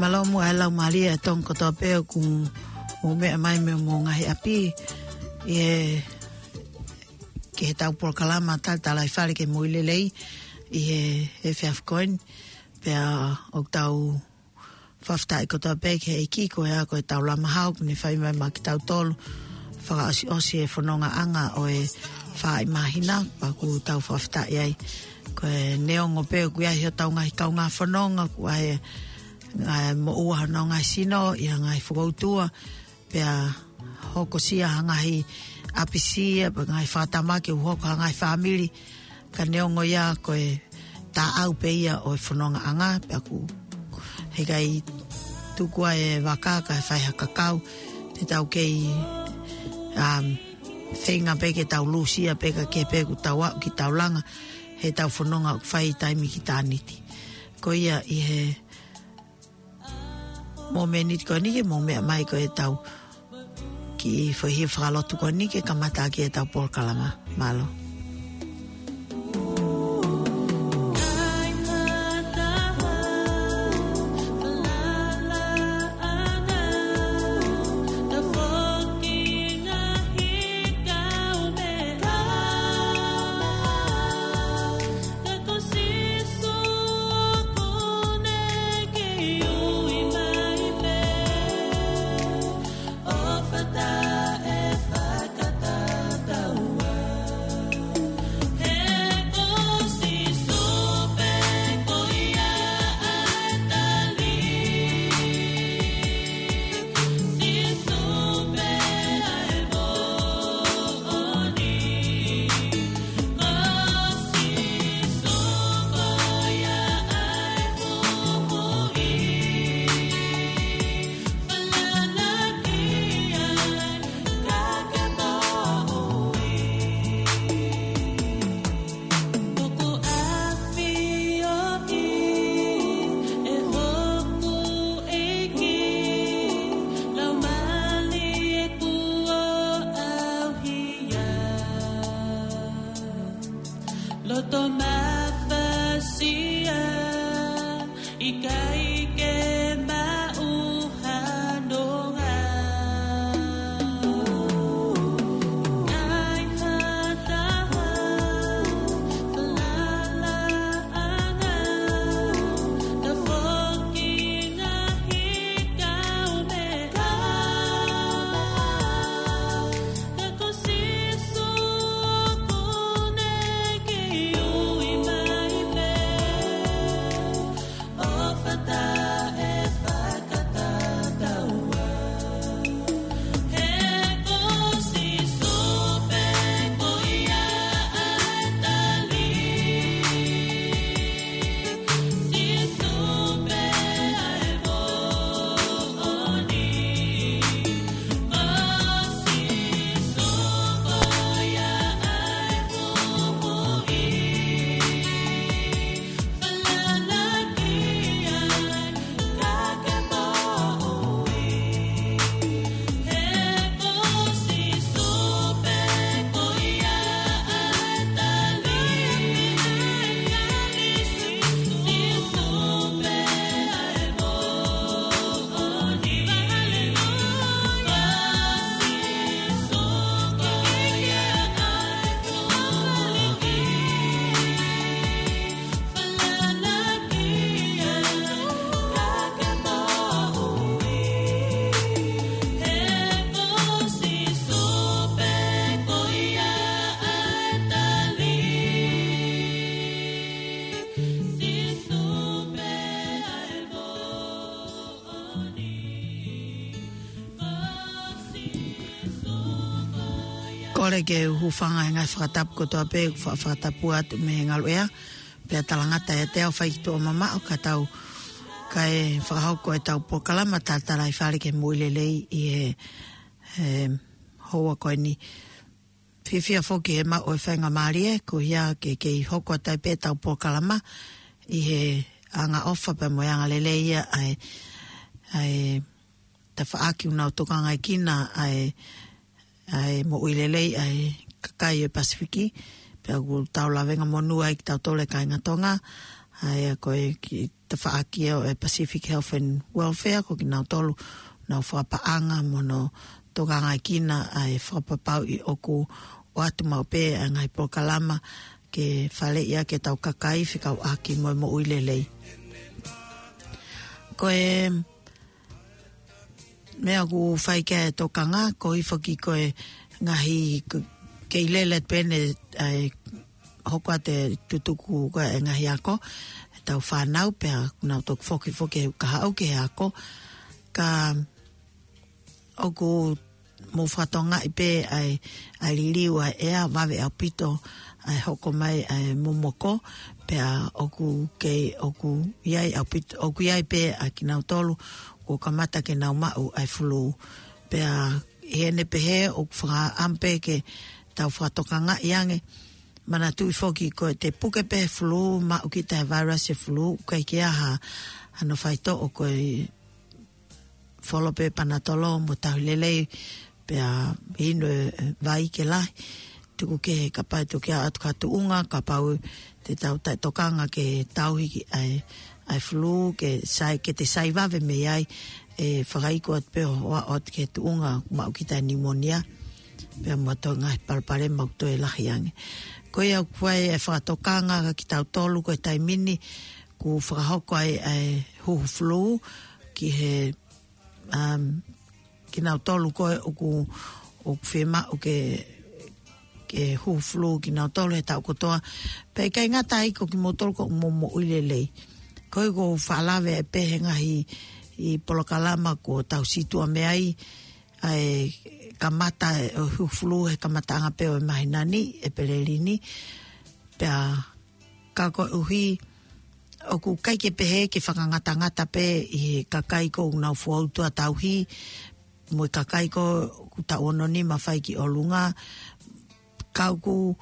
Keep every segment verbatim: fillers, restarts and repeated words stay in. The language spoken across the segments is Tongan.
Mālō muʻa e laumālie ʻa e Tonga kotoa pē ʻoku mou meʻa mai mei homou ngaahi ʻapi ʻi he, ki heʻetau polokalama Talatalaifale ki he Moʻui Lelei ʻi he, he efiafi ko eni. Pea ʻoku tau fakafetaʻi kotoa pē ki he ʻEiki ko ia ko e tau lama hau, kuo ne fai mai maʻa kitautolu, fakaʻosiʻosi e fonongaʻanga ʻo e fā māhina, pea ʻoku tau fakafetaʻi ai. Ko e neongo pē ʻoku ʻi ai hotau ngaahi kaungā fononga, ʻoku ʻi ai e ngaahi moʻua honau ngaahi sino, ʻi he ngaahi fokoutua, pea hokosia ha ngaahi ʻapisia, pea ngaahi fakatamaki ʻoku hoko ha ngaahi fāmili, ka neongo ia ko e taʻau pē ia ʻo e fonongaʻanga, pea ʻoku heʻikai tuku ai e vaka kae fai ha kakau, te tau kei, um, feinga pē ke tau lūsia pē ka ke pē ʻoku tau aʻu ki taulanga, heʻetau fononga ʻoku fai taimi ki tāniti. Ko ia ʻi he mōmeniti ko eni ke mou meʻa mai ko e tau kiʻi foʻi hia fakalotu ko eni ke kamata ʻaki ʻetau polokalama. Mālō. Loto mafasia, ʻikai ke maʻu ha nonga. ʻAi ha taha, falala anga, ta foki ngaahi kaumeʻa. Ka ko Sīsū ʻoku ne kei ui mai pē. ʻO fata e fakatataua. He ko Sīsū pē ko ia ʻa e tali. Sīsū pē ʻa e moʻoni. Ko Sīsū ko ia ʻa e moʻui. Kole ke u hūfanga he ngaahi fakatapu kotoa pē, fa-, fakatapu atu mei he ngaluʻea, pea talangata ʻiate au fai ki tuʻa mamaʻo ka tau, kae fakahoko ʻetau polokalama Talatalaifale ki he Moʻui Lelei ʻi he, he houa ko eni. Fiefia foki he maʻu e faingamālie, ko ia ke kei hoko atu ai pē ʻetau polokalama ʻi he angaʻofa pea mo e angalelei ia ʻa e, ʻa e tafaʻaki ʻoku nau tokangaekina ʻa e, ʻa e moʻui lelei ʻa e kakai ʻo e Pasifiki, pea ʻoku tau lavengamonū ai kitautolu e kāinga Tonga, ʻa ia ko e kiʻi tafaʻaki ʻo e Pacific Health and Welfare, ko kinautolu nau fakapaʻanga mo nau tokangaʻi kinaua ʻa e fakapapauʻi ʻoku ʻoatu maʻu pē ʻa e ngaahi polokalama ke faleʻi ʻaki ʻetau kakai fekauʻaki mo e moʻui lelei. Ko e meʻa ʻoku fai ki ai e tokanga, ko e foki ko e ngaahi k-, kei lele pē ʻene, ʻa e hoko atu e tutuku ko e ngaahi ako, ʻetau fānau pea nau toki foki foki he kahaʻu ki he ako, ka ʻoku mou fakatokangaʻi pē ʻa e, ʻa e liliu ʻa e ʻea, vave ʻaupito ʻa e hoko mai ʻa e momoko, pea ʻoku kei, ʻoku ʻi ai ʻaupito, ʻoku ʻi ai pē ʻa kinautolu kuo kamata ke nau maʻu ʻa e fulū. Pea ʻi heʻene pehē ʻoku fakaʻamu pē ke tau fakatokangaʻi ange, manatuʻi foki ko e te puke pē he fulū, maʻu kita he vairasi e fulū, ʻoku ʻikai ke ʻi ai ha, hano faitoʻo, ko e folo pē panatolo mo tauhi lelei, pea inu e vai ke lahi. Tuku kehe kapau ʻe toki aʻu atu ki ha tuʻunga, kapau te tau taʻetokanga ke tauhi ki ai ʻa e fulū, ke sai, ke te sai vave mei ai, ʻe fakaiku atu pē ʻo aʻu atu ki he tuʻunga maʻu kita e pneumonia, pea mo ha toe ngaahi palopalema ʻoku toe lahi ange. Ko ia ʻoku fai e fakatokanga kia kitautolu ko e taimi ni, kuo fakahoko ai ʻa e huhu fulū ki he, um, kinautolu ko ē ʻoku, ʻoku fiemaʻu ke, ke huhu fulū kinautolu he taʻu kotoa. Pea ʻikai ngata ai, ko kimoutolu ko hoʻomou moʻui lelei. Ko ia ʻoku ou faʻa lave ai pē he ngaahi polokalama kuo tau situʻa mei ai, ʻa e kamata e huhu fulū he kamataʻanga pē ʻo e māhina ni, ʻEpeleli ni. Pea ka koeʻuhi ʻoku ʻikai ke pehē ke fakangatangata pē ʻi he kakai ʻoku nau foutua tauhi, mo e kakai ʻoku taʻu ono nima fai ki ʻolunga, ka ʻoku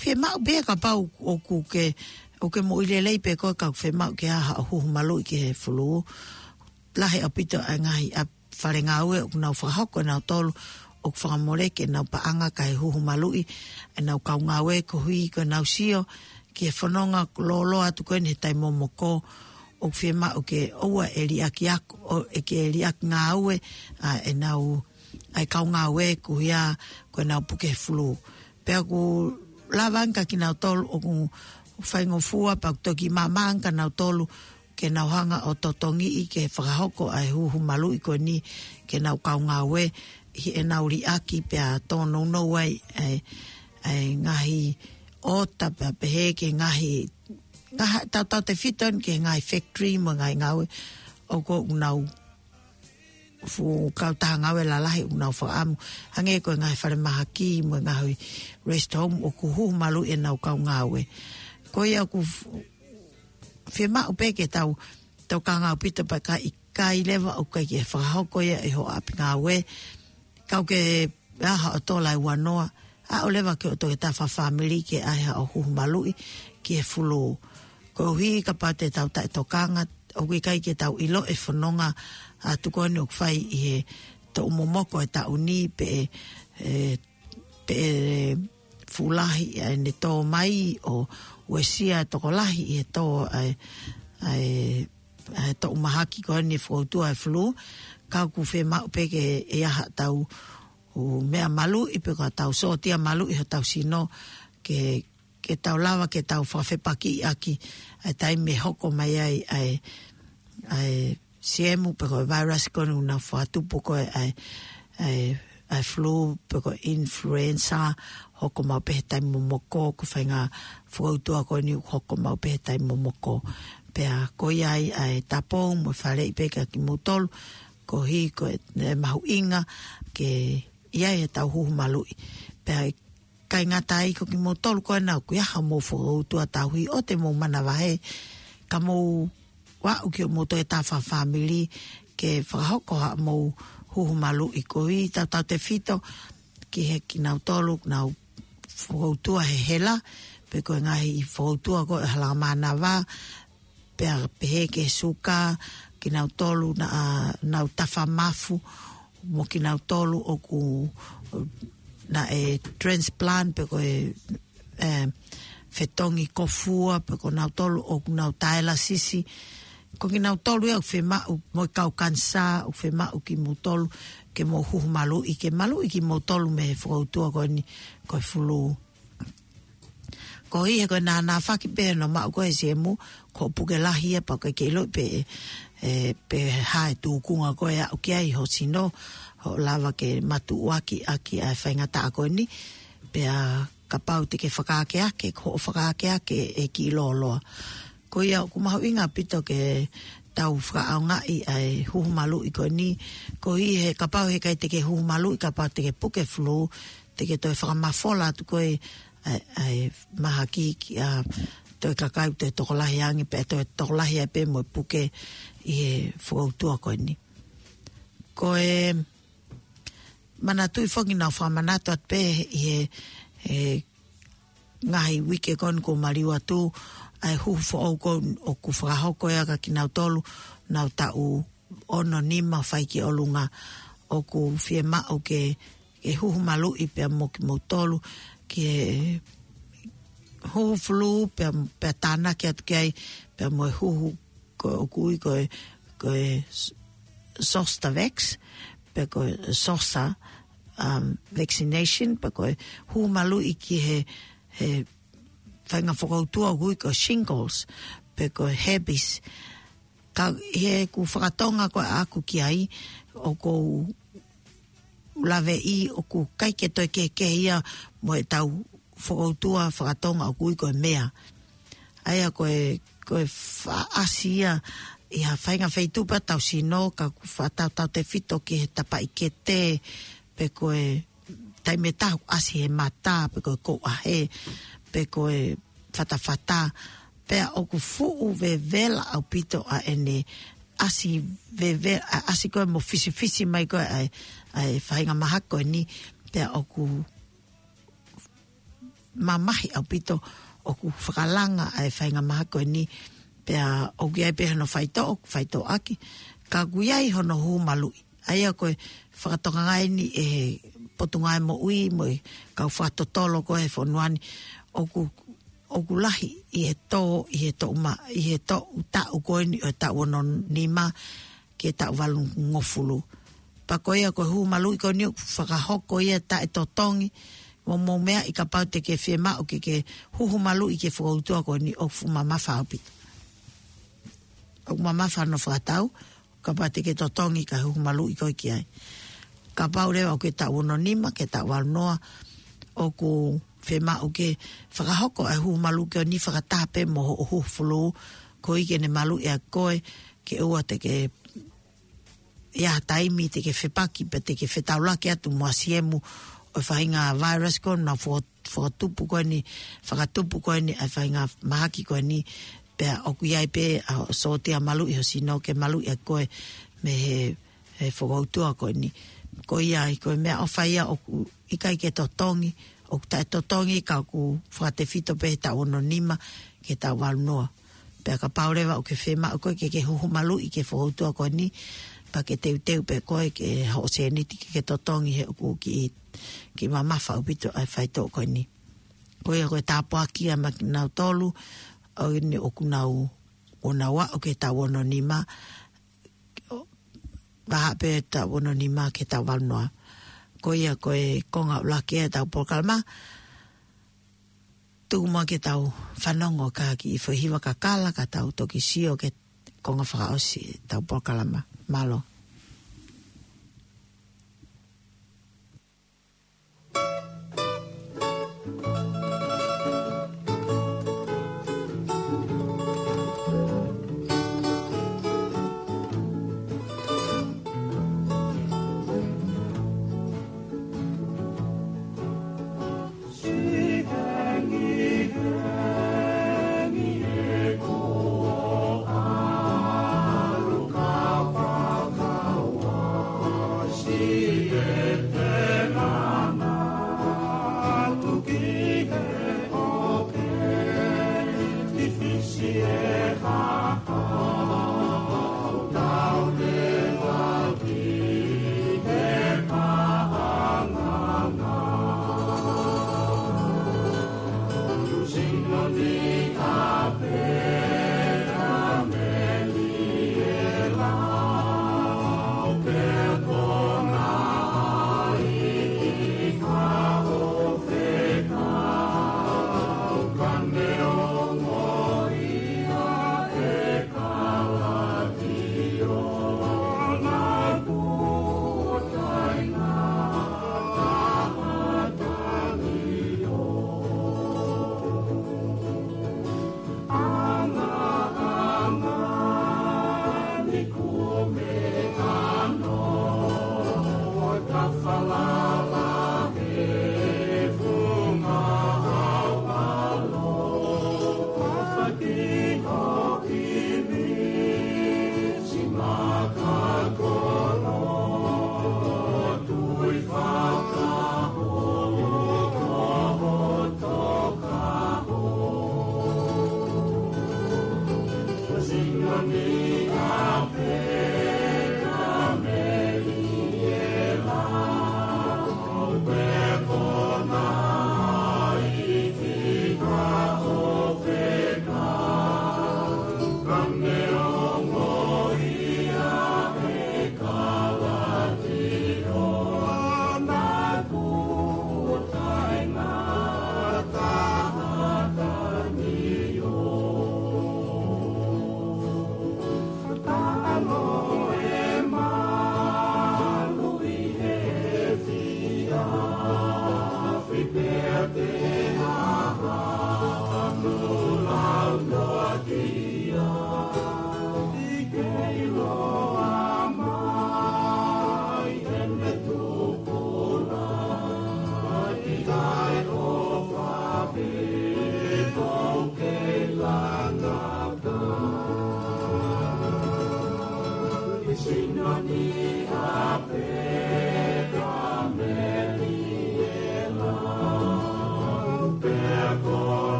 fiemaʻu pē kapau ʻoku ke, ʻoku ke moʻui lelei pē koe ka ʻoku fiemaʻu ke ʻai haʻo huhu maluʻi ki he fulū. Lahi ʻaupito ʻa e ngaahi ʻa e fale ngāue ʻoku nau fakahoko ʻe nautolu ʻoku fakamole ke nau paʻanga kae huhu maluʻi ʻenau kau ngāue koeʻuhi ko ʻenau sio ki he fononga lōloa atu ko eni he taimi momoko ʻoku fiemaʻu ke ʻoua ʻe liʻaki ako, ʻo ʻe ke liʻaki ngāue ʻa ʻenau, ʻa e kau ngāue koeʻuhi ko ʻenau puke he fulū. Pea ʻoku lava ange kia kinautolu ʻoku faingofua pea ʻoku toki maama ange kia nautolu ke nau hanga ʻo totongiʻi ke fakahoko ʻa e huhu maluʻi ko eni ki heʻenau kau ngāue, ʻi heʻenau liʻaki pea tōnounou ai ʻa e, ʻa e ngaahi ʻota pea pehē ki he ngaahi, ngaahi tautautefito eni ki he ngaahi factory mo e ngaahi ngāue ʻoku, ʻoku nau fuʻu kautaha ngāue lalahi ʻoku nau fakaʻamu, hangē ko e ngaahi falemahaki mo e ngaahi rest home ʻoku huhu maluʻi ʻenau kau ngāue. Ko ia ʻoku f-, fiemaʻu pē ke tau, tau tokanga ʻaupito pea ka ʻikai leva ʻoku ʻikai ke fakahoko ia ʻe hoʻo ʻapi ngāue, ka ʻoku ke ʻai haʻo tola ʻe ua noa, aʻu leva ki hoʻo toketā fakafāmili ke ʻai haʻo huhu maluʻi ki he fulū. Koeʻuhi kapau te tau taʻetokanga, ʻoku ʻikai ke tau ʻilo e fononga atu ko eni ʻoku fai ʻi he toʻu momoko e taʻu ni pe ʻe, ʻe, pe ʻe fuʻu lahi ʻa ʻene tō mai ʻo uesia e tokolahi ʻi he tō ʻa e, ʻa e, ʻa e toʻu mahaki ko eni foutua e fulū, ka ʻoku fiemaʻu pē ke ʻi ai haʻatau ʻū meʻa maluʻi pe ko ʻetau sōtia maluʻi hotau sino ke, ke tau lava ke tau fakafepakiʻi ʻaki ʻa e taimi ʻe hoko mai ai ʻa e, ʻa e siemu pe ko e vairasi ko eni ʻoku nau fakatupu ko ē ʻa e, ʻa e, ʻa e fulū pe ko e influenza, hoko maʻu pē he taimi momoko, ko e faʻahinga foutua ko eni ʻoku hoko maʻu pē he taimi momoko. Pea ko ia ai ʻa e tapu mo e faleʻi pē kia kimoutolu, koeʻuhi ko e, e mahuʻinga ke ʻi ai ʻetau huhu maluʻi. Pea ʻikai ngata ai, ko kimoutolu ko ena ʻoku ʻi ai haʻamou foutua tauhi ʻoua te mou manavahē, ka mou aʻu ki hoʻomou toketā fakafāmili ke fakahoko haʻamou huhu maluʻi, koeʻuhi tautautefito ki he kinautolu ʻoku nau foutua he hela, pe ko e ngaahi foutua ko e hala mānava, pea pehē ki he suka, kinautolu naʻa nau tafa mafu, mo kinautolu ʻoku naʻe transplant pe ko e, e, fetongi kofua, pe ko nautolu ʻoku nau taelasisi, Ko kinautolu ia ʻoku fiemaʻu, mo e kau kanisā, ʻoku fiemaʻu kimoutolu ke mou huhu maluʻi, ke maluʻi kimoutolu mei he fokoutua ko eni ko e fulū. Koeʻuhi he ko e nānāfaki pē hono maʻu ko ē ʻe he siemu, ko e puke lahi ia pea ʻoku ʻikai ke ʻiloʻi pe, ē, pe ko e hā e tūkunga ko ē ʻe aʻu ki ai ho sino, ʻo lava ke matuʻuaki ʻaki ʻa e faingataʻa ko eni, pea kapau te ke fakaakeake, ko hoʻo fakaakeake ʻe kiʻi lōloa. Ko ia ʻoku mahuʻinga ʻaupito ke tau fakaʻaongaʻi ʻa e huhu maluʻi ko eni, koeʻuhi he kapau he ʻikai te ke huhu maluʻi, kapau te ke puke fulū, te ke toe fakamafola atu ko ē ʻa e, ʻa e mahaki ki ha toe kakai toe tokolahi ange, pea toe tokolahi ai pē mo e puke ʻi he fokoutua ko eni. Ko e manatuʻi foki naʻa ku fakamanatu atu pē ʻi he, he ngaahi uike ko eni kuo maliu atu, ʻa e huhu foʻou ko ē ʻoku fakahoko ia kia kinautolu naʻa nau taʻu ono nima ʻo fai ki ʻolunga, ʻoku fiemaʻu ke, ke huhu maluʻi pea mo kimoutolu, ke huhu fulū pea, pea tānaki atu ki ai, pea mo e huhu ko ē ʻoku ui ko e, ko e s-, Zostavax, pe ko e Zoster, um, vaccination, pe ko e huhu maluʻi ki he, he faʻahinga fokoutua ʻoku ui ko e shingles, pe ko e herpes. Ka ʻi heʻeku fakatonga ko ē ʻaʻaku ki ai, ʻoku ou laveʻi ʻoku ʻikai ke toe kehekehe ia mo ʻetau fokoutua fakatonga ʻoku ui ko e mea. ʻA ia ko e, ko e faʻa ʻasi ia ʻi ha faʻahinga feituʻu pē ʻetau sino, ka ʻoku fakatautautefito ki he tapaʻikete, pe ko e taimi ʻe taha ʻoku ʻasi he mata, pe ko e kouʻahe, pe ko e fatafata, pea ʻoku fuʻu vevela ʻaupito ʻa ʻene ʻasi veve-, ʻa, ʻasi ko ē mo fisifisi mai ko ē ʻa e, ʻa e faʻahinga mahaki ko eni, pea ʻoku mamahi ʻaupito ʻoku fakalanga ʻa e faʻahinga mahaki ko eni, pea ʻoku ʻi ai pē hono faitoʻo, faitoʻo ʻaki, ka ʻoku ʻi ai hono huhu maluʻi. ʻA ia ko e fakatokanga eni ʻe he Potungāue Moʻui mo e kau fakatotolo ko ē he fonua ni, ʻoku, ʻoku lahi ʻi he tō, ʻi he toʻu ma-, ʻi he toʻu taʻu ko eni ʻo e taʻu ono nima ki he taʻu valungofulu. Pea ko ia ko e huhu maluʻi ko eni ʻoku fakahoko ia taʻetotongi, mo, mo e meʻa ʻi kapau te ke fiemaʻu ke, ke huhu maluʻi ki he fokoutua ko eni ʻoku fuʻu mamafa ʻaupito. ʻOku mamafa hono fakatau, kapau te ke totongi kae huhu maluʻi koe ki ai. Kapau leva ʻoku ke taʻu ono nima ki he taʻu valu noa, ʻoku fiemaʻu ke fakahoko ʻa e huhu maluʻi ko eni fakataha pē mo hoʻo huhu fulū, koeʻuhi ke ne maluʻi ʻa koe, ke ʻoua te ke ʻi ai ha taimi te ke fepaki pe te ke fetaulaki atu mo ha siemu ʻo e faʻahinga virus ko ē naʻa fo-, fokotupu ko eni, fakatupu ko eni ʻa e faʻahinga mahaki ko eni, pea ʻoku ʻi ai pē ʻa e sōtia maluʻi ho sino ke maluʻi ʻa koe mei he, he fokoutua ko eni. Ko ia ai, ko e meʻaʻofa ia ʻoku ʻikai ke totongi, ʻoku taʻetotongi ka ʻoku fakatefito pē he taʻu ono nima ki he taʻu valu noa. Pea kapau leva ʻoku ke fiemaʻu koe ke, ke huhu maluʻi ki he fokoutua ko eni, pea ke teuteu pē koe ki hoʻo sēniti ke, ke totongi he ʻoku kiʻi, kiʻi mamafa ʻaupito ʻa e faitoʻo ko eni. Ko ia ko e tāpuaki ia maʻa kinautolu ʻoku nau, ʻoku nau aʻu ki he taʻu ono nima, ʻo, vahaʻa pē taʻu ono nima ki he taʻu valu noa. Ko ia ko e konga ʻuluaki ʻetau polokalama. Tuku muʻa ke tau fanongo ki ha kiʻi foʻi hiva kakala ka tau toki sio ki he konga fakaʻosi ʻetau polokalama. Mālō.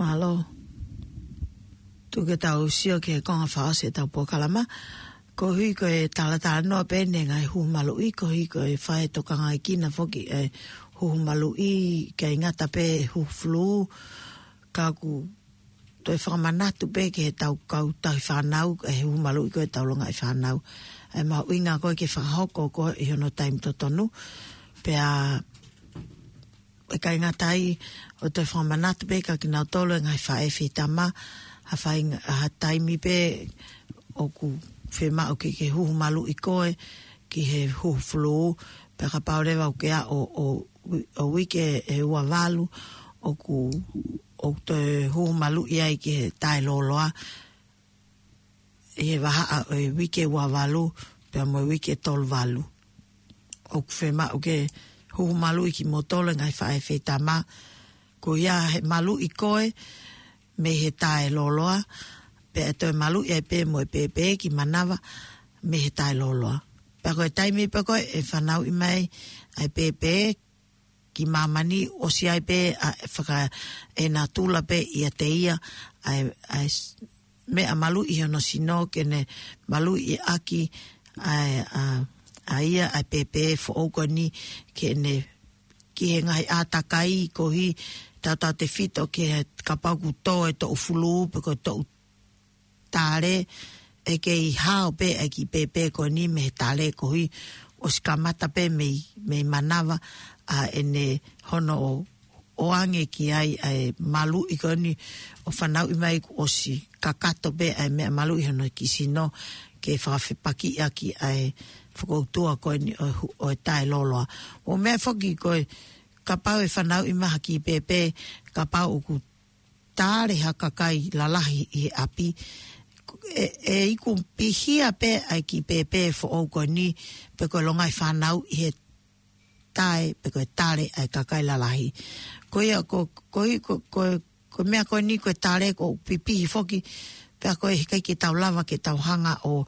Mālō. Tuku ke tau sio ki he konga fakaʻosi ʻetau polokalama. Koeʻuhi ko e talatalanoa pē ʻeni ngaahi huhu maluʻi, koeʻuhi ko e fai e tokangaʻi kina foki e huhu maluʻi, ʻikai ngata pē huhu fulū, ka ʻoku toe fakamanatu pē ki heʻetau kau tauhi fānau, e huhu maluʻi ko ʻetau longaʻi fānau. ʻE mahuʻinga ko ē ke fakahoko ko ē ʻi hono taimi totonu, pea ʻikai ngata ai, ʻoku toe fakamanatu pē kia kinautolu e ngaahi faʻē feitama, ha fai, ha taimi pē ʻoku fiemaʻu ke ke huhu maluʻi koe ki he huhu fulū, pea kapau leva ʻoku ke aʻu ʻo, ʻo, ʻo uike ʻe ua valu, ʻoku, ʻoku toe huhu maluʻi ai ki he taʻelōloa, ʻi he vahaʻa ʻo e uike ua valu, pea mo e uike tolu valu. ʻOku fiemaʻu ke huhu maluʻi kimoutolu e ngaahi faʻē feitama, ko ia he maluʻi koe mei he taʻelōloa, pea ʻe toe maluʻi ai pē mo e pēpē ki manava mei he taʻelōloa. Pea ko e taimi pē ko ē ʻe fanauʻi mai ai e pēpē ki māmani, ʻosi ai pē ʻa e faka-, ʻe natula pē ʻiate ia ʻa e, ʻa e s-, meʻa maluʻi hono sino ke ne maluʻi ʻaki ʻa e, ʻa, ʻa ia ʻa e pēpē foʻou ko eni ke ne ki he ngaahi ʻātakai koeʻuhi tautautefito ki he kapau ʻoku tō e toʻu fulū pe ko e toʻu tale, ʻe kei hao pē ʻa e kiʻi pēpē ko eni mei he tale koeʻuhi ʻosi kamata pē mei, mei manava ʻa ʻene hono ʻo, ʻoange ki ai ʻa e maluʻi ko eni ʻo fanauʻi mai kuo ʻosi kakato pē ʻa e meʻa maluʻi hono kiʻi sino ke fakafepakiʻi ʻaki ʻa e fokoutua ko eni ʻo e hu-, ʻo e taʻelōloa. ʻO meʻa foki ko e kapau ʻe fanauʻi mai ha kiʻi pēpē, kapau ʻoku tale ha kakai lalahi ʻi he ʻapi, ʻe, ʻe iku pihia pē ʻa e kiʻi pēpē foʻou ko eni, pe ko e longaʻi fānau ʻi he tae, pe ko e tale ʻa e kakai lalahi. Ko ia, ko, ko, ko, ko, ko e meʻa ko eni ko e tale ʻoku pipihi foki, pea ko e ʻikai ke tau lava ke tau hanga ʻo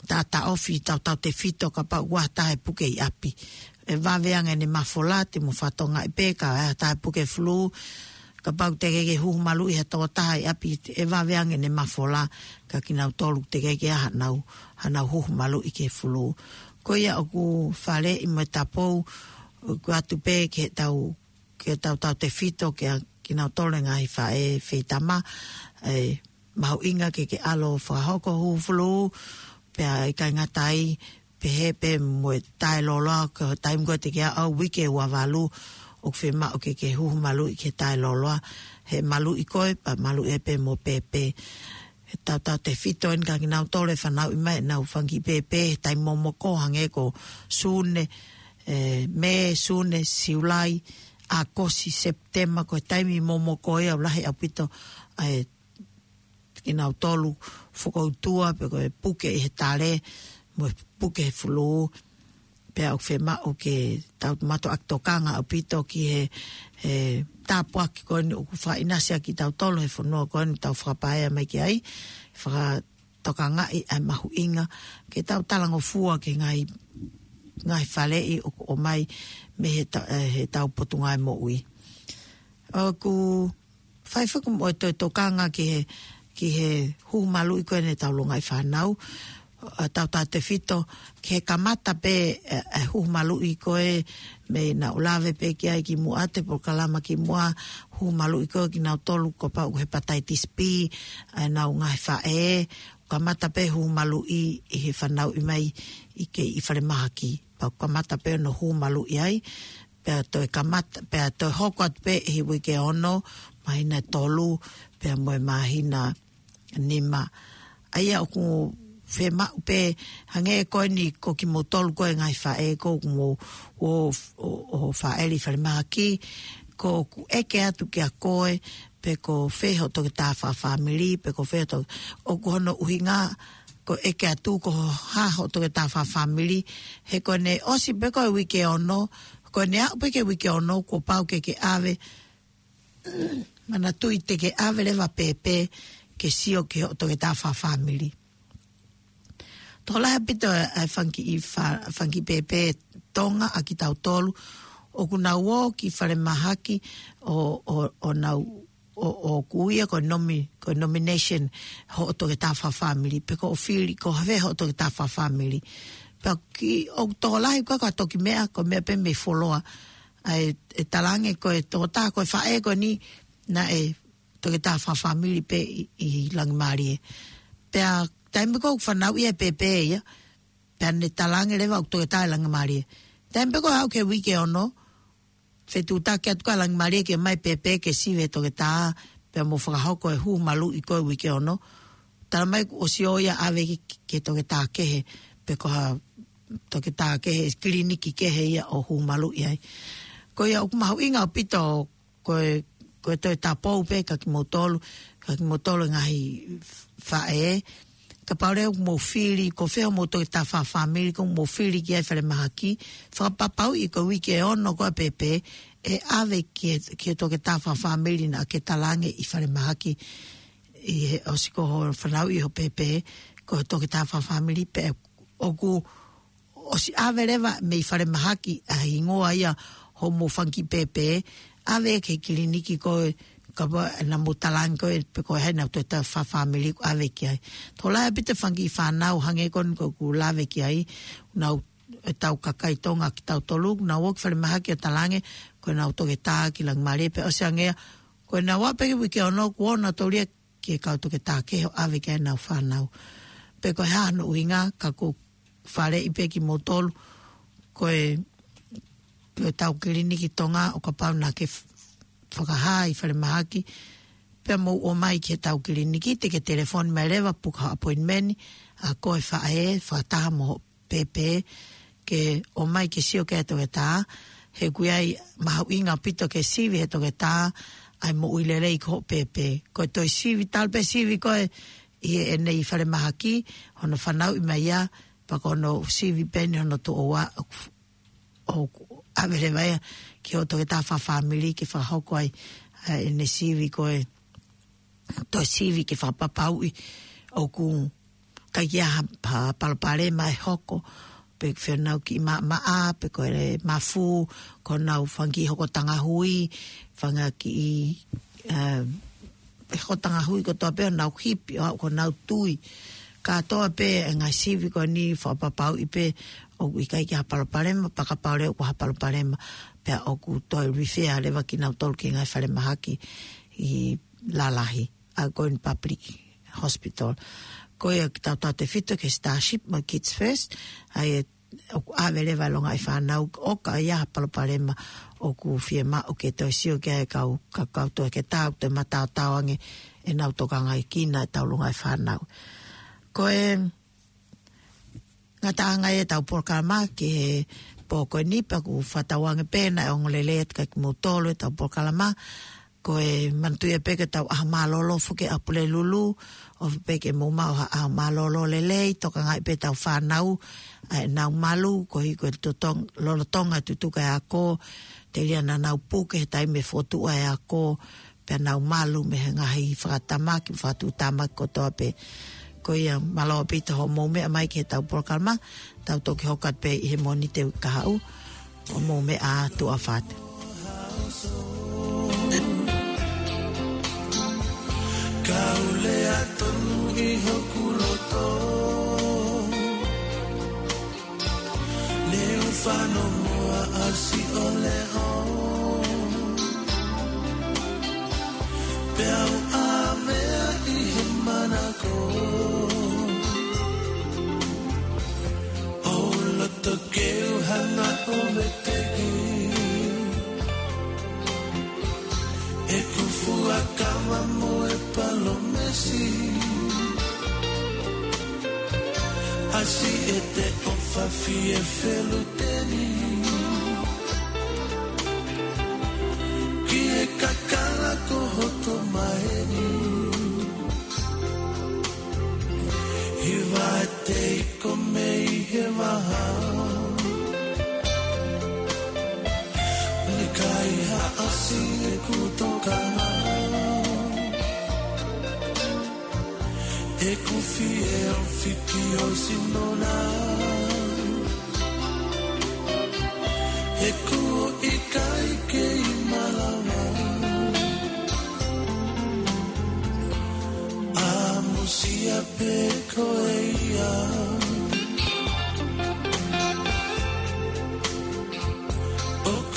taʻataʻofi tautautefito kapau ʻoku ʻi ai ha taha ʻe puke ʻi ʻapi. ʻE vave ange ʻene mafola, te mo fakatokangaʻi pē ka ʻi ai ha taha ʻe puke fulū, kapau te ke ke huhu maluʻi ha tokotaha ʻi ʻapi, ʻe vave ange ʻene mafola, kia kinautolu te ke ke ʻi ai hanau, hanau huhu maluʻi ki he fulū. Ko ia ʻoku faleʻi mo e tapou, ʻoku ʻoatu pē ke tau, ke tau tautautefito kia kinautolu e ngaahi faʻē feitama, ʻe mahuʻinga ke ke ʻalu ʻo fakahoko huhu fulū, pea ʻikai ngata ai, pehē pē mo e taʻelōloa, ko e taimi ko ē te ke aʻu uike ua valu, ʻoku fiemaʻu ke ke huhu maluʻi ki he taʻelōloa, he maluʻi koe, pea maluʻi ai pē mo e pēpē. He tautautefito eni kia kinautolu ʻe fanauʻi mai ʻenau fanga kiʻi pēpē he taimi momoko hangē ko Sune, ʻe, Mē, Sune, Siulai, ʻAokosi, Sepitema, ko e taimi momoko ia ʻoku lahi ʻaupito ʻa e kinautolu fokoutua, pe ko e puke ʻi he tale, mo e puke he fulū, pea ʻoku fiemaʻu ke tau mātuʻaki tokanga ʻaupito ki he, he tāpuaki ko eni ʻoku fakaʻinasi ʻaki kitautolu he fonua ko eni tau fakapaea mai ki ai, fakatokangaʻi ʻa e mahuʻinga, ke tau talangofua ki he ngaahi, ngaahi faleʻi ʻoku ʻomai mei he ta-, ʻe, he tau Potungāue Moʻui. ʻOku fai foki mo e toe tokanga ki he, ki he huhu maluʻi ko eni ʻetau longaʻi fānau, ʻa, tautautefito ki he kamata pē, ʻe, ʻe huhu maluʻi ko ē mei naʻa ku lave pē ki ai kimuʻa he polokalama kimuʻa, huhu maluʻi ko ē kinautolu kapau ʻoku hepatitis B ʻa ʻenau ngaahi faʻē, kamata pē huhu maluʻi ʻi he fanauʻi mai ʻi he, ʻi falemahaki. Pea kamata pē hono huhu maluʻi ai, pea toe kamata, pea toe hoko atu pē ʻi he uike ono, māhina ʻe tolu, pea mo e māhina nima. ʻA ia ʻoku fiemaʻu pē, hangē ko eni ko kimoutolu ko e ngaahi faʻē ko ē ʻoku mou, ʻo, ʻo, ʻo fāʻele ʻi falemahaki, ko ʻeku ʻeke atu kia koe, pe ko fē hoʻo toketā fakafāmili, pe ko fē hoʻo to-, ʻoku hono ʻuhinga, ko e ʻeke atu ko e hā hoʻo toketā fakafāmili, he ko ʻene ʻosi pē ko e uike ono, ko ʻene aʻu pē ki he uike ono, kuo pau ke ke ʻave, manatuʻi te ke ʻave leva pēpē ke sio ki hoʻo toketā fakafāmili. Tokolahi ʻaupito e fanga kiʻi fa-, fanga kiʻi pēpē Tonga ʻa kitautolu, ʻoku nau ō ki falemahaki ʻo, ʻo, ʻo nau, ʻo, ʻoku ui ia ko e nomi-, ko e nomination hoʻo toketā fakafāmili, pe ko hoʻo fili, ko fē hoʻo toketā fakafāmili. Pea ki, ʻoku tokolahi ko e ka toki meʻa, ko e meʻa pē mei fuoloa, ʻa e, ʻe talaange ko e toketā, ko e faʻē ko eni naʻe toketā fakafāmili pē ʻi, ʻi Langimālie. Pea taimi ko ē ʻoku fanauʻi ai e pēpē ia, pea ne talaange leva ʻoku toketā ʻi Langimālie. Taimi pē ko ē aʻu ki he uike ono, fetuʻutaki atu kia Langimālie ke ʻomai pēpē ke sivi he toketā, pea mo fakahoko e hū maluʻi ko e uike ono. Talamai kuo ʻosi ō ia ʻave ki, ki he toketā kehe, pe ko ha toketā kehe, kiliniki kehe ia ʻo hū maluʻi ai. Ko ia ʻoku mahuʻinga ʻaupito ko e, ko e toe tāpou pē kia kimoutolu, kia kimoutolu e ngaahi faʻē. Kapau leva ʻoku mou fili, ko fē hoʻomou toketā fakafāmili ʻoku mou fili ki ai falemahaki, fakapapauʻi ko e uike ono ko ē pēpē, ʻe ʻave ki he, ki he toketā fakafāmili naʻa ke talaange ʻi falemahaki, ʻi he ʻosi ko hoʻo fanauʻi hoʻo pēpē, ko e toketā fakafāmili pē ʻoku ʻosi ʻave leva mei falemahaki ʻa e hingoa ia hoʻomou fanga kiʻi pēpē, ʻave ki he kiliniki ko ē, kapau naʻa mou talaange ko ē, pe ko e hā ʻenau toketā fakafāmili ʻoku ʻave ki ai. Tokolahi ʻaupito e fanga kiʻi fānau hangē ko eni ko ē ʻoku lave ki ai, nau, ʻetau kakai Tonga kitautolu, nau ō ki falemahaki ʻo talaange, ko ʻenau toketā ki Langimālie pea ʻosi ange ia, ko ʻenau aʻu pē ki he uike ono kuo ō nautolu ia ki he kau toketā kehe ʻo ʻave ki ai ʻenau fānau. Pe ko e hā hono ʻuhinga, ka ʻoku faleʻi pē kimoutolu, ko e, ko ʻetau kiliniki Tonga ʻo kapau naʻa ke f-, fakahā ʻi falemahaki, pea mou ō mai ki heʻetau kiliniki, te ke telefoni mai leva, puka appointment, ʻa koe faʻē, fakataha mo hoʻo pēpē, ke ō mai ke sio ki he toketā, he ʻoku ʻi ai e mahuʻinga ʻaupito ke sivi he toketā ʻa e moʻui lelei ki hoʻo pēpē. Ko e toe sivi, talu pē sivi ko ē ʻi heʻene ʻi falemahaki, hono fanauʻi mai ia, pea ko hono sivi pē eni hono tuʻo ua, ʻo, ʻo ʻave leva ia ki hoʻo toketā fakafāmili ke fakahoko ai, ʻa ʻene sivi ko ē, toe sivi ke fakapapauʻi ʻoku ʻikai ke ʻi ai ha, ha palopalema ʻe hoko, pe fēnau kiʻi maʻamaʻa, pe ko e mafu, ko ʻenau fanga kiʻi hokotaʻanga hui, fanga kiʻi, ē, hokotaʻanga hui kotoa pē, ʻenau hipi, ʻo aʻu ki honau tui. Kātoa pē e ngaahi sivi ko eni fakapapauʻi pē ʻoku ʻikai ke ʻi ai ha palopalema, pea kapau leva ʻoku ʻi ai ha palopalema, pea ʻoku toe refer leva kinautolu ki he ngaahi falemahaki ʻi lalahi, ʻa ko eni public hospital. Ko ia kitautolu tefito ki he Starship mo e Kids First, ʻa ia ʻoku ʻave leva e longaʻi fānau ʻo ka ʻi ai ha palopalema ʻoku fiemaʻu ke toe sio ki ai e kau, ka kau toketā ʻoku toe mataotao ange ʻenau tokangaʻi kinautolu e longaʻi fānau. Ko e ngataʻanga ia ʻetau polokalama ki he pō ko eni pea ʻoku fakatauange pē naʻe ongo lelei atu kia kimoutolu ʻetau polokalama. Ko e manatuʻi pē ko ʻetau ʻaho mālōlō foki ʻa Pulelulu, ʻofa pē ke mou maʻu ha ʻaho mālōlō lelei, tokangaʻi pē ʻetau fānau, ʻa ʻenau malu, koeʻuhi ko e totong-, lolotonga e tutuku e ako, telia naʻa nau puke he taimi ʻe fotu ai e ako, pea nau malu mei he ngaahi fakatamaki, fakatuʻutāmaki kotoa pē. Ko ia mālō ʻaupito hoʻomou meʻa mai ki heʻetau polokalama, tau toki hoko atu pē ʻi he Mōnite uike kahaʻu, ʻo mou meʻa ā, tuʻa ʻofa atu. Kau lea tonu ʻi hoku loto. Leu fano moa ʻa si o leo. Pea u ʻavea ʻi he manako. ʻO loto ke u hanga ʻo veteki. ʻEku fuakava mo e palōmesi. ʻAsi e te ʻofa fie feluteni ki he kakala ko hoto maheni. Hiva e tei ko mei he vaha. Ne kai ha ʻasi e kutokanga. E kufi e o fiki o sinona. E ku